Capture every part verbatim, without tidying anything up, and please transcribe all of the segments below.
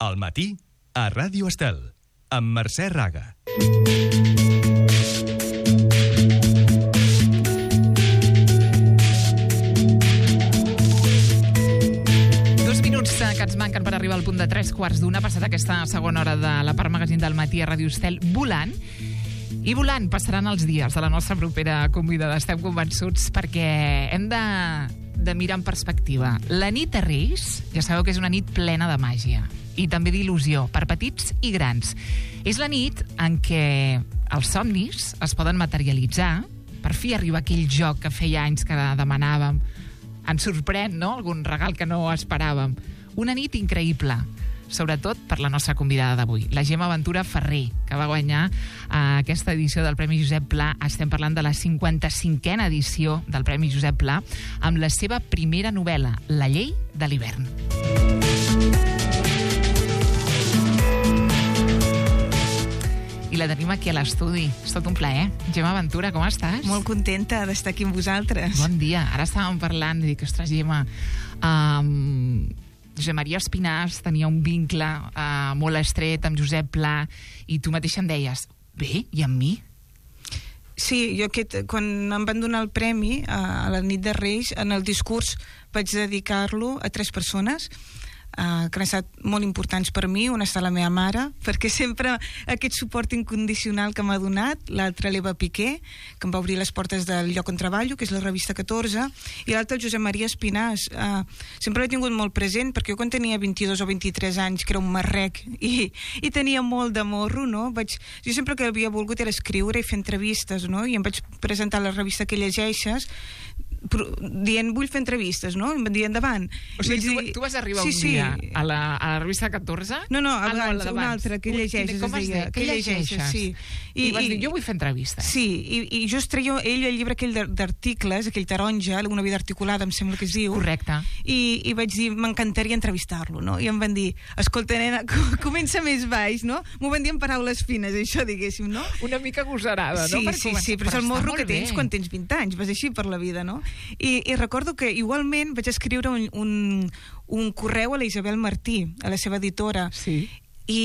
Al matí, a Ràdio Estel, amb Mercè Raga. Dos minuts que ens manquen per arribar al punt de tres quarts d'una, passat aquesta segona hora de la part magazín del matí a Ràdio Estel, volant. I volant passaran els dies de la nostra propera convidada, estem convençuts, perquè hem de, de mirar en perspectiva. La nit de Reis, ja sabeu que és una nit plena de màgia i també d'il·lusió, per petits i grans. És la nit en què els somnis es poden materialitzar, per fi arriba aquell joc que feia anys que demanàvem. Ens sorprèn, no?, algun regal que no esperàvem. Una nit increïble, sobretot per la nostra convidada d'avui, la Gemma Ventura Ferrer, que va guanyar eh, aquesta edició del Premi Josep Pla. Estem parlant de la cinquanta-cinquena edició del Premi Josep Pla, amb la seva primera novel·la, La llei de l'hivern. I la tenim aquí a l'estudi. És tot un plaer. Gemma Ventura, com estàs? Molt contenta d'estar aquí amb vosaltres. Bon dia. Ara estàvem parlant i dic, ostres, Gemma, um, Josep Maria Espinàs tenia un vincle uh, molt estret amb Josep Pla i tu mateixa em deies, bé, i amb mi? Sí, jo aquest, quan em van donar el premi a la nit de Reis, en el discurs vaig dedicar-lo a tres persones Uh, que han estat molt importants per mi. Una està la meva mare, perquè sempre aquest suport incondicional que m'ha donat, l'altra l'Eva Piqué, que em va obrir les portes del lloc on treballo, que és la revista catorze, i l'altre el Josep Maria Espinàs. Uh, sempre l'he tingut molt present, perquè jo quan tenia vint-i-dos o vint-i-tres anys, que era un marrec, i, i tenia molt de morro, no? Vaig, jo sempre que havia volgut era escriure i fer entrevistes, no? I em vaig presentar a la revista que llegeixes, dient, vull fer entrevistes, no? I em van dir, endavant. O sigui, tu, dir... tu vas arribar sí, un dia sí. a, la, a la revista catorze? No, no, abans, ah, no una altra, que llegeixes. Com es deia? Que llegeixes, sí. I, I vas i, dir, jo vull fer entrevistes. Sí, i, i just treia ell el llibre aquell d'articles, aquell taronja, una vida articulada, em sembla que es diu. Correcte. I, i vaig dir, m'encantaria entrevistar-lo, no? I em van dir, escolta, nena, comença més baix, no? M'ho van dir en paraules fines, això, diguéssim, no? Una mica agosarada, sí, no? Per sí, sí, però és el morro que tens quan tens vint anys, vas així per la vida, no? I, i recordo que igualment vaig escriure un, un, un correu a la Isabel Martí, a la seva editora, sí. I,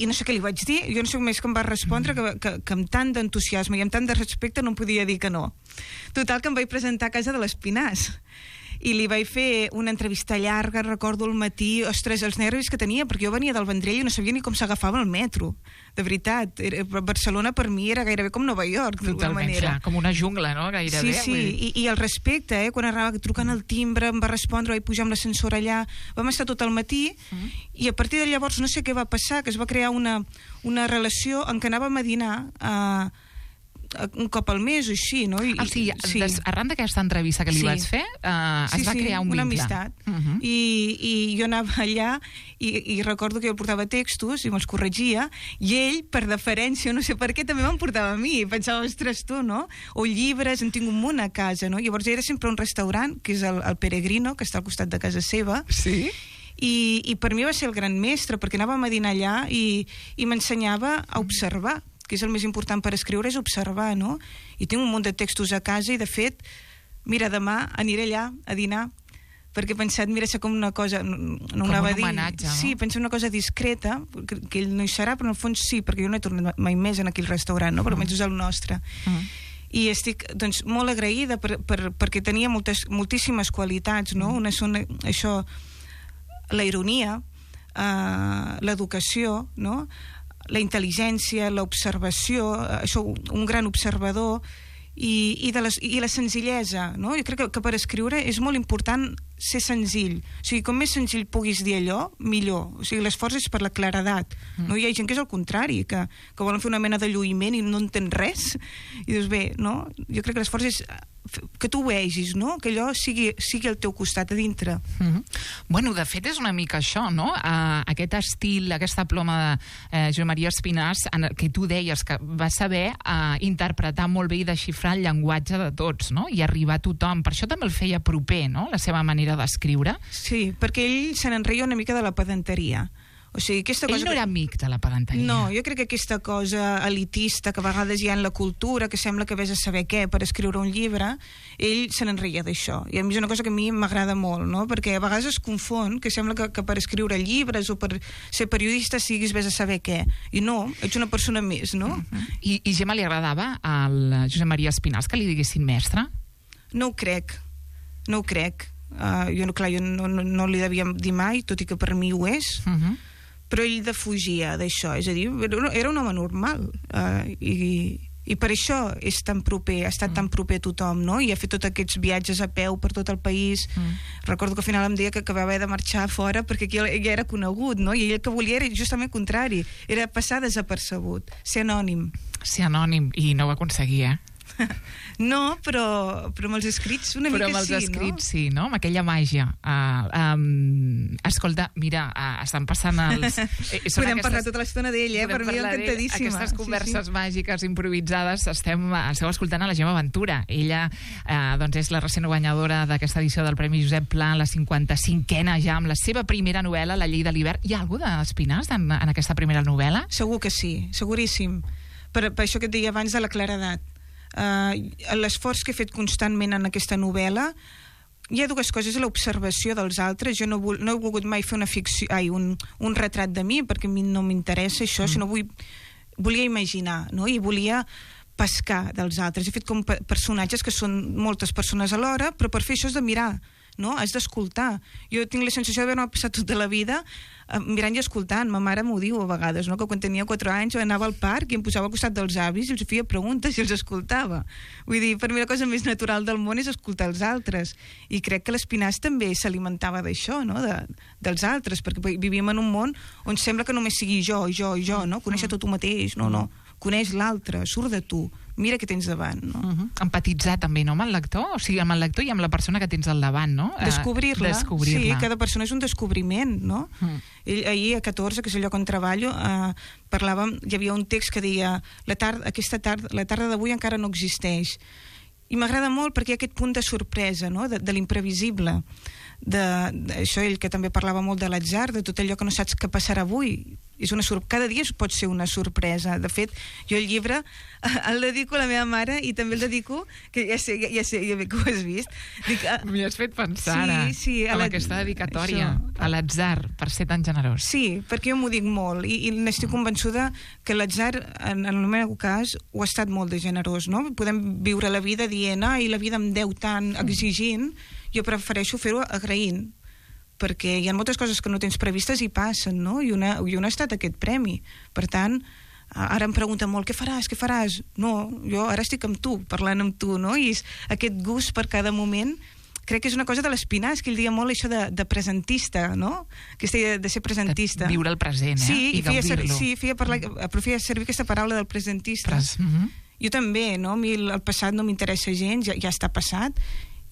i no sé què li vaig dir, jo no sé més que em va respondre, mm. que, que, que amb tant d'entusiasme i amb tant de respecte no em podia dir que no. Total, que em vaig presentar a casa de l'Espinàs i li vaig fer una entrevista llarga, recordo al matí, ostres, els nervis que tenia, perquè jo venia del Vendrell i no sabia ni com s'agafava el metro, de veritat. Barcelona per mi era gairebé com Nova York, d'alguna manera. Totalment, com una jungla, no?, gairebé. Sí, sí, I, i el respecte, eh? Quan anava trucant el timbre, em va respondre, vaig pujar amb l'ascensor allà, vam estar tot el matí, mm. i a partir de llavors no sé què va passar, que es va crear una, una relació en què anàvem a dinar a un cop al mes o així, no? I, ah, sí, sí. Des, arran d'aquesta entrevista que li sí. vaig fer, uh, sí, es va sí, crear un una vincle. amistat. Uh -huh. I, I jo anava allà i, i recordo que jo portava textos i me'ls corregia, i ell, per deferència, no sé per què, també me'n portava a mi. I pensava, ostres, tu, no? O llibres, en tinc un munt a casa, no? Llavors era sempre un restaurant, que és el, el Peregrino, que està al costat de casa seva. Sí? I, i per mi va ser el gran mestre, perquè anàvem a dinar allà i, i m'ensenyava a observar, que és el més important per escriure, és observar, no? I tinc un munt de textos a casa i, de fet, mira, demà aniré allà a dinar, perquè he pensat, mira, ser com una cosa... No, no com un homenatge, no? Sí, penso una cosa discreta, que, que ell no hi serà, però en el fons sí, perquè jo no he tornat mai més en aquell restaurant, no? Però almenys és el nostre. Uh-huh. I estic, doncs, molt agraïda per, per, perquè tenia moltes, moltíssimes qualitats, no? Uh-huh. Una són, això, la ironia, eh, l'educació, no?, la intel·ligència, l'observació, això, un gran observador, i, i, de les, i la senzillesa, no? Jo crec que, que per escriure és molt important ser senzill. O sigui, com més senzill puguis dir allò, millor. O sigui, l'esforç és per la claredat. Mm. No? Hi ha gent que és el contrari, que, que volen fer una mena de lluïment i no entén res. I dius, bé, no? Jo crec que l'esforç és que tu ho vegis, no? Que allò sigui, sigui al teu costat a dintre. Mm-hmm. Bueno, de fet és una mica això, no? Uh, aquest estil, aquesta ploma de uh, Josep Maria Espinàs, en el que tu deies que va saber uh, interpretar molt bé i desxifrar el llenguatge de tots, no? I arribar a tothom. Per això també el feia proper, no?, la seva manera d'escriure. Sí, perquè ell se n'enreia una mica de la pedanteria. O sigui, aquesta Ell cosa... no era amic de la pedanteria. No, jo crec que aquesta cosa elitista que a vegades hi ha en la cultura, que sembla que vés a saber què per escriure un llibre, ell se n'enreia d'això. I a mi és una cosa que a mi m'agrada molt, no? Perquè a vegades es confon que sembla que, que per escriure llibres o per ser periodista siguis vés a saber què. I no, ets una persona més, no? Uh-huh. I, I Gemma, li agradava al Josep Maria Espinàs que li diguessin mestre? No ho crec, no ho crec. Uh, jo, clar, jo no, no, no li devia dir mai, tot i que per mi ho és, Uh-huh. però ell defugia d'això, és a dir, era un home normal, uh, i, i per això és tan proper, ha estat mm. tan proper a tothom, no? I ha fet tots aquests viatges a peu per tot el país. Mm. Recordo que al final em deia que, que va haver de marxar fora perquè aquí ja era conegut, no? I ell el que volia era justament el contrari, era passar desapercebut, ser anònim. Ser anònim, i no ho aconseguia, eh? No, però, però amb els escrits una però mica sí, no? Però amb els escrits sí, no? Amb aquella màgia. Uh, um, escolta, mira, uh, estan passant els... Eh, Podem aquestes... parlar tota l'estona d'ell, eh? Per mi encantadíssima. Aquestes converses sí, sí. màgiques improvisades, estem, esteu escoltant a la Gemma Ventura. Ella uh, doncs és la recent guanyadora d'aquesta edició del Premi Josep Pla, la cinquanta-cinquena ja, amb la seva primera novel·la, La llei de l'hivern. Hi ha algú d'Espinàs en, en aquesta primera novel·la? Segur que sí, seguríssim. Per, per això que et deia abans de la claredat. Uh, l'esforç que he fet constantment en aquesta novel·la, hi ha dues coses: l'observació dels altres. Jo no, vol, no he volgut mai fer una ficció, ai, un, un retrat de mi, perquè a mi no m'interessa això, mm. sinó vull, volia imaginar, no? I volia pescar dels altres. He fet com pe personatges que són moltes persones alhora, però per fer això has de mirar, no? Has d'escoltar. Jo tinc la sensació d'haver-me passat tota la vida eh, mirant i escoltant. Ma mare m'ho diu a vegades, no? Que quan tenia quatre anys anava al parc i em posava al costat dels avis i els feia preguntes i els escoltava. Vull dir, per mi la cosa més natural del món és escoltar els altres. I crec que l'Espinàs també s'alimentava d'això, no? De, dels altres, perquè vivíem en un món on sembla que només sigui jo, jo i jo, no? Conèixer tot tu mateix, no, no. Coneix l'altre, surt de tu, mira què tens davant, no? Uh-huh. Empatitzar també, no?, amb el lector, o sigui, amb el lector i amb la persona que tens al davant, no? Descobrir-la. Uh, Descobrir-la. Sí, cada persona és un descobriment, no? Uh-huh. Ell, ahir, a catorze, que és el lloc on treballo, uh, parlàvem, hi havia un text que deia la tarda, aquesta tarda, la tarda d'avui encara no existeix. I m'agrada molt perquè hi ha aquest punt de sorpresa, no?, de, de l'imprevisible. De, de, això ell que també parlava molt de l'atzar, de tot allò que no saps què passarà avui. És una sor... Cada dia pot ser una sorpresa. De fet, jo el llibre el dedico a la meva mare i també el dedico, que ja sé, ja sé, ja sé que ho has vist. Dic, a... M'hi has fet pensar sí, ara, sí, amb aquesta dedicatòria, això, a l'atzar, per ser tan generós. Sí, perquè jo m'ho dic molt i, i n'estic convençuda que l'atzar, en, en el meu cas, ho ha estat molt de generós, no? Podem viure la vida dient, ai, la vida em deu tant, exigint. Jo prefereixo fer-ho agraint, perquè hi ha moltes coses que no tens previstes i passen, no? I una, i una ha estat aquest premi. Per tant, ara em pregunten molt, què faràs, què faràs? No, jo ara estic amb tu, parlant amb tu, no? I és aquest gust per cada moment, crec que és una cosa de l'Espinàs, que ell deia molt això de, de presentista, no? Aquesta idea de ser presentista. De viure el present, eh? Sí, i, i feia, ser, gaudir-lo. sí, feia, parlar, feia servir aquesta paraula del presentista. Pres, uh -huh. Jo també, no? A mi el, el passat no m'interessa gens, ja, ja està passat,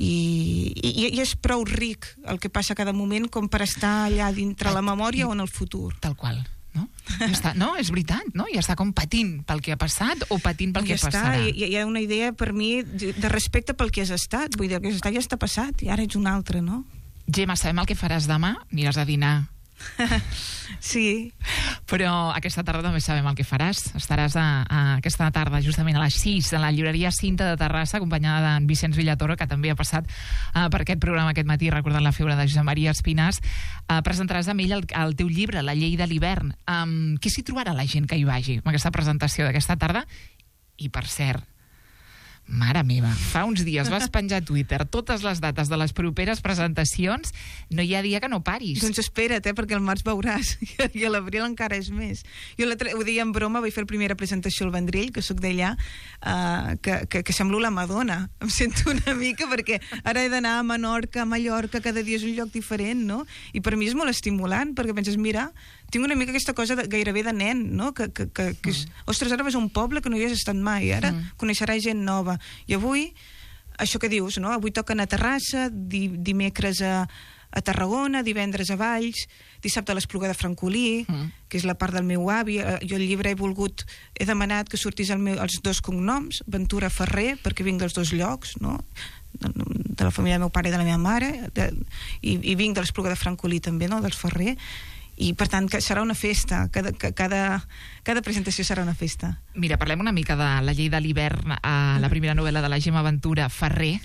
I, i, i és prou ric el que passa a cada moment com per estar allà dintre la memòria o en el futur. Tal qual, no? Ja està, no, és veritat, no? Ja està com patint pel que ha passat o patint pel ja que està, passarà. Hi, hi ha una idea per mi de respecte pel que has estat. Vull dir, el que has estat ja està passat i ara ets un altre, no? Gemma, sabem el que faràs demà? Aniràs a dinar. Sí. Però aquesta tarda també sabem el que faràs. Estaràs a, a aquesta tarda, justament a les sis, a la llibreria Cinta de Terrassa, acompanyada d'en Vicenç Villatoro, que també ha passat uh, per aquest programa aquest matí, recordant la figura de Josep Maria Espinàs. Uh, presentaràs amb ell el, el teu llibre, La llei de l'hivern. Um, què s'hi trobarà la gent que hi vagi amb aquesta presentació d'aquesta tarda? I, per cert, mare meva, fa uns dies vas penjar a Twitter totes les dates de les properes presentacions, no hi ha dia que no paris. Doncs espera't, eh, perquè al març veuràs, i a l'abril encara és més. Jo ho deia en broma, vaig fer la primera presentació al Vendrell, que sóc d'allà, uh, que, que, que semblo la Madonna. Em sento una mica, perquè ara he d'anar a Menorca, a Mallorca, cada dia és un lloc diferent, no? I per mi és molt estimulant, perquè penses, mira, tinc una mica aquesta cosa de, gairebé de nen, no? Que, que, que, que és, mm. ostres, ara vas a un poble que no hi has estat mai, ara mm. coneixeràs gent nova. I avui, això que dius, no? Avui toquen a Terrassa, di, dimecres a, a Tarragona, divendres a Valls, dissabte a l'Espluga de Francolí, mm. que és la part del meu avi. Jo al llibre he volgut, he demanat que sortís el meu, els dos cognoms, Ventura Ferrer, perquè vinc dels dos llocs, no? De la família del meu pare i de la meva mare, de, i, i vinc de l'Espluga de Francolí també, no? Dels Ferrer. i per tant que serà una festa, cada, cada, cada presentació serà una festa. Mira, parlem una mica de La llei de l'hivern, a la primera novel·la de la Gemma Ventura, Ferrer,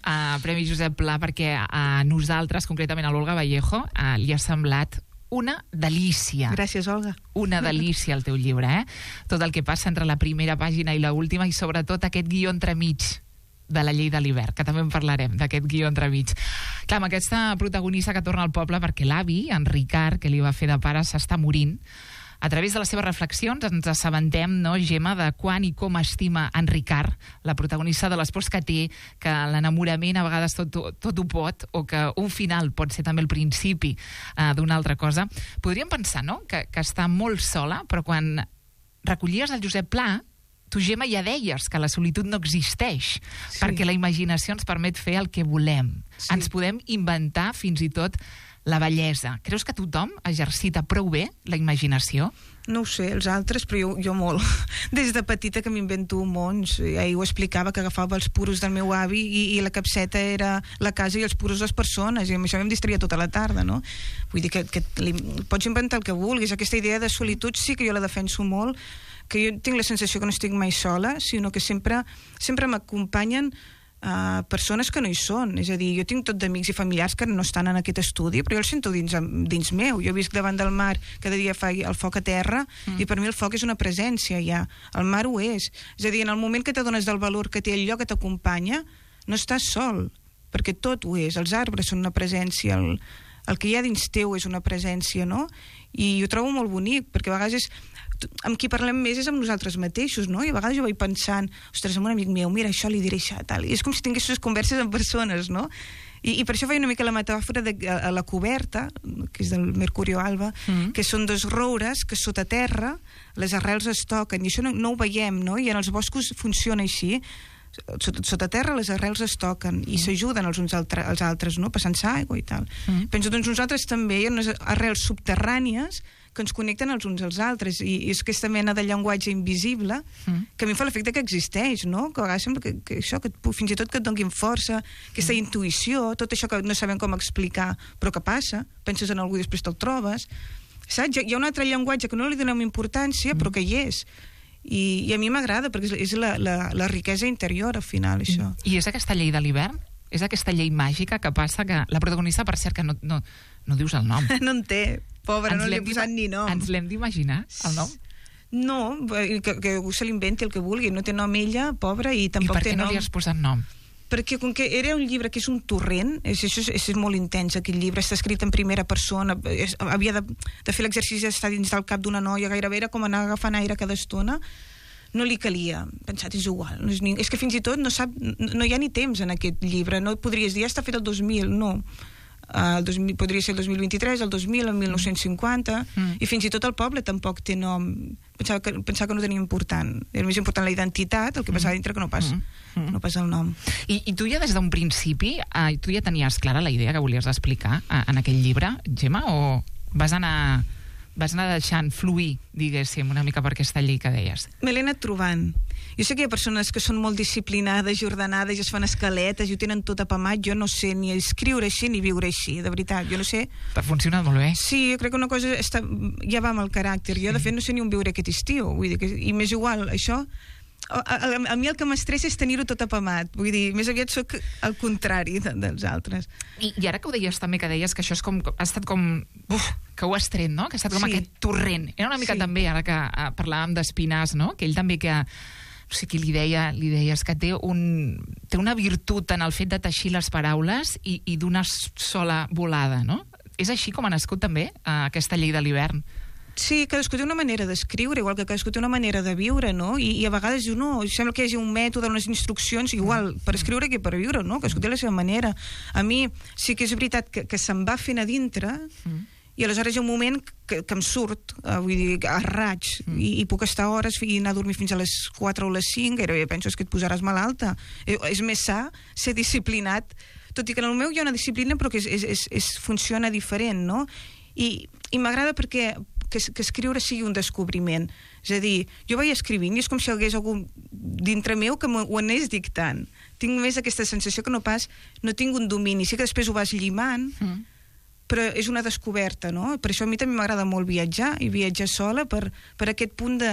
a Premi Josep Pla, perquè a nosaltres, concretament a l'Olga Vallejo, eh, li ha semblat una delícia. Gràcies, Olga. Una delícia el teu llibre, eh? Tot el que passa entre la primera pàgina i la última, i sobretot aquest guió entremig de La llei de l'hivern, que també en parlarem, d'aquest guió entremig. Clar, amb aquesta protagonista que torna al poble perquè l'avi, en Ricard, que li va fer de pare, s'està morint. A través de les seves reflexions ens assabentem, no, Gemma, de quan i com estima en Ricard, la protagonista de les pors que té, que l'enamorament a vegades tot, tot ho pot, o que un final pot ser també el principi eh, d'una altra cosa. Podríem pensar, no?, que, que està molt sola, però quan recollies el Josep Pla, tu, Gemma, ja deies que la solitud no existeix, sí, perquè la imaginació ens permet fer el que volem. Sí. Ens podem inventar fins i tot la bellesa. Creus que tothom exercita prou bé la imaginació? No ho sé, els altres, però jo, jo molt. Des de petita que m'invento mons. Ahir ho explicava, que agafava els puros del meu avi i, i la capseta era la casa i els puros les persones, i amb això em distreia tota la tarda, no? Vull dir que, que li, pots inventar el que vulguis. Aquesta idea de solitud sí que jo la defenso molt, que jo tinc la sensació que no estic mai sola, sinó que sempre, sempre m'acompanyen uh, persones que no hi són. És a dir, jo tinc tot d'amics i familiars que no estan en aquest estudi, però jo el sento dins, dins meu. Jo visc davant del mar, cada dia fa el foc a terra, mm. i per mi el foc és una presència ja. El mar ho és. És a dir, en el moment que t'adones del valor que té el lloc que t'acompanya, no estàs sol, perquè tot ho és. Els arbres són una presència, el, el que hi ha dins teu és una presència, no? I ho trobo molt bonic, perquè a vegades és, amb qui parlem més és amb nosaltres mateixos, no? I a vegades jo vaig pensant, ostres, amb un amic meu, mira, això li diré això, tal. I és com si tinguessis converses amb persones, no? I, i per això feia una mica la metàfora de a, a la coberta, que és del Mercurio Alba, mm. que són dos roures que sota terra les arrels es toquen, i això no, no ho veiem, no? I en els boscos funciona així. Sota, sota terra les arrels es toquen i mm. s'ajuden els uns altre, als altres, no? Passant-se aigua i tal. Mm. Penso, doncs nosaltres també hi ha unes arrels subterrànies que ens connecten els uns als altres, i és aquesta mena de llenguatge invisible mm. que a mi em fa l'efecte que existeix, no? Que a vegades sembla que, que això, que et, fins i tot que et donin força, aquesta mm. intuïció, tot això que no sabem com explicar, però que passa, penses en algú i després te'l trobes, saps? Hi ha un altre llenguatge que no li donem importància, mm. però que hi és. I, i a mi m'agrada, perquè és, és la, la, la riquesa interior, al final, això. I és aquesta llei de l'hivern? És aquesta llei màgica que passa que la protagonista, per cert, que no, no, no dius el nom. No en té, pobra, ens no li he posat ni nom. Ens l'hem d'imaginar, el nom? No, que, que se l'inventi el que vulgui, no té nom ella, pobra, i tampoc té nom. I per què no li has posat nom? Perquè com que era un llibre que és un torrent, és, és, és molt intens, aquest llibre, està escrit en primera persona, és, havia de, de fer l'exercici d'estar dins del cap d'una noia, gairebé era com anar agafant aire cada estona, no li calia, pensat, és igual, no és, ni... és que fins i tot no, sap, no, no hi ha ni temps en aquest llibre, no podries dir, ja està fet el dos mil, no. Uh, el dos mil, podria ser el dos mil vint-i-tres, el dos mil, el mil nou-cents cinquanta, mm. i fins i tot el poble tampoc té nom. Pensava que, pensava que no tenia important. Era més important la identitat, el que passava dintre, que no pas, mm. no pas el nom. I, i tu ja des d'un principi, uh, tu ja tenies clara la idea que volies explicar uh, en aquell llibre, Gemma, o vas anar... vas anar deixant fluir, diguéssim, una mica per aquesta llei que deies? Me l'he anat trobant. Jo sé que hi ha persones que són molt disciplinades i ordenades i es fan escaletes i ho tenen tot apamat. Jo no sé ni escriure així ni viure així, de veritat. Jo no sé... T'ha funcionat molt bé. Sí, jo crec que una cosa està... ja va amb el caràcter. Jo, de fet, no sé ni on viure aquest estiu. Vull dir que... I m'és igual, això... A, a, a mi el que m'estressa és tenir-ho tot apamat. Vull dir, més aviat sóc el contrari de, dels altres. I, I ara que ho deies també, que deies que això és com, ha estat com... Uf, que ho has tret, no? Que ha estat com sí. aquest torrent. Era una mica sí. també, ara que uh, parlàvem d'Espinàs, no? Que ell també que... No sé qui li deia, li deies que té, un, té una virtut en el fet de teixir les paraules i, i d'una sola volada, no? És així com ha nascut també uh, aquesta llei de l'hivern. Sí, cadascú té una manera d'escriure, igual que cadascú té una manera de viure, no? I, i a vegades diu, no, sembla que hi hagi un mètode, unes instruccions, igual per escriure que per viure, no? Cadascú té la seva manera. A mi sí que és veritat que, que se'm va fent a dintre, mm. i aleshores hi ha un moment que, que em surt, uh, vull dir, a raig, mm. i, i puc estar hores i anar a dormir fins a les quatre o les cinc, gairebé penso que et posaràs malalta. Eh, és més sa ser disciplinat, tot i que en el meu hi ha una disciplina però que és, és, és, és, funciona diferent, no? I, i m'agrada perquè que, que escriure sigui un descobriment. És a dir, jo vaig escrivint i és com si hi hagués algú dintre meu que ho anés dictant. Tinc més aquesta sensació que no pas, no tinc un domini. Sí que després ho vas llimant, mm. però és una descoberta, no? Per això a mi també m'agrada molt viatjar, i viatjar sola per, per aquest punt de,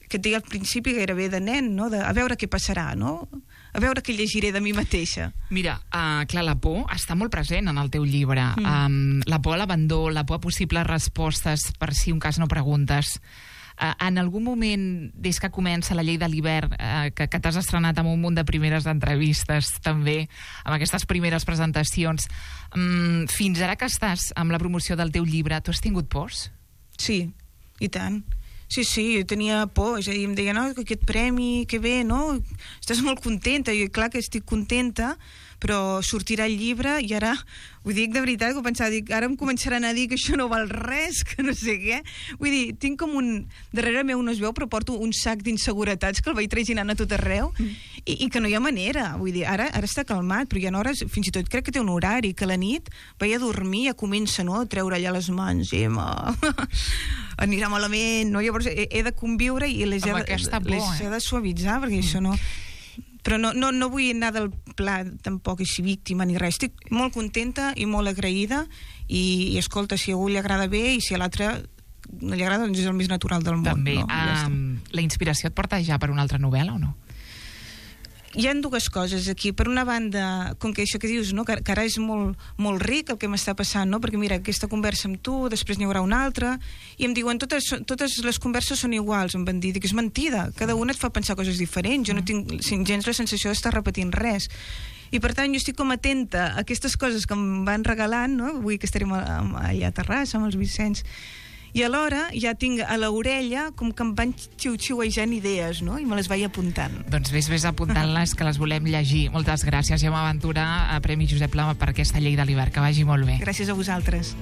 que et deia al principi gairebé de nen, no? De, a veure què passarà, no? A veure què llegiré de mi mateixa. Mira, uh, clar, la por està molt present en el teu llibre. Mm. Um, la por a l'abandó, la por a possibles respostes per si un cas no preguntes. Uh, en algun moment, des que comença la llei de l'hivern, uh, que, que t'has estrenat amb un munt de primeres entrevistes, també, amb aquestes primeres presentacions, um, fins ara que estàs amb la promoció del teu llibre, tu has tingut pors? Sí, i tant. Sí, sí, jo tenia por, és a dir, em deia, no, aquest premi, que bé, no? Estàs molt contenta, i clar que estic contenta, però sortirà el llibre i ara, ho dic de veritat, que ho pensava, dic, ara em començaran a dir que això no val res, que no sé què. Vull dir, tinc com un... Darrere meu no es veu, però porto un sac d'inseguretats que el vaig traginant a tot arreu mm. i, i que no hi ha manera. Vull dir, ara, ara està calmat, però hi ha hores, fins i tot crec que té un horari, que a la nit vaig a dormir, ja comença, no?, a treure allà les mans, i ma... anirà malament, no? Llavors he, he de conviure i les, he de, por, les eh? he de suavitzar, perquè mm. això no... Però no, no, no vull anar del pla tampoc així víctima ni res. Estic molt contenta i molt agraïda i, i escolta, si a algú li agrada bé i si a l'altre no li agrada, doncs és el més natural del món. També. No? Ja um, la inspiració et porta ja per una altra novel·la o no? Hi ha dues coses aquí. Per una banda, com que això que dius, no? que, que ara és molt, molt ric el que m'està passant, no? Perquè mira, aquesta conversa amb tu, després n'hi haurà una altra, i em diuen, totes, totes les converses són iguals, em van dir, dic, és mentida, cada una et fa pensar coses diferents, jo no tinc gens la sensació d'estar repetint res. I per tant jo estic com atenta a aquestes coses que em van regalant, no? Avui que estarem allà a Terrassa amb els Vicenç, i alhora ja tinc a l'orella com que em van xiu-xiuejant idees, no? I me les vaig apuntant. Doncs vés, vés apuntant-les, que les volem llegir. Moltes gràcies, Gemma Ventura, a Premi Josep Pla, per aquesta llei de l'hivern. Que vagi molt bé. Gràcies a vosaltres.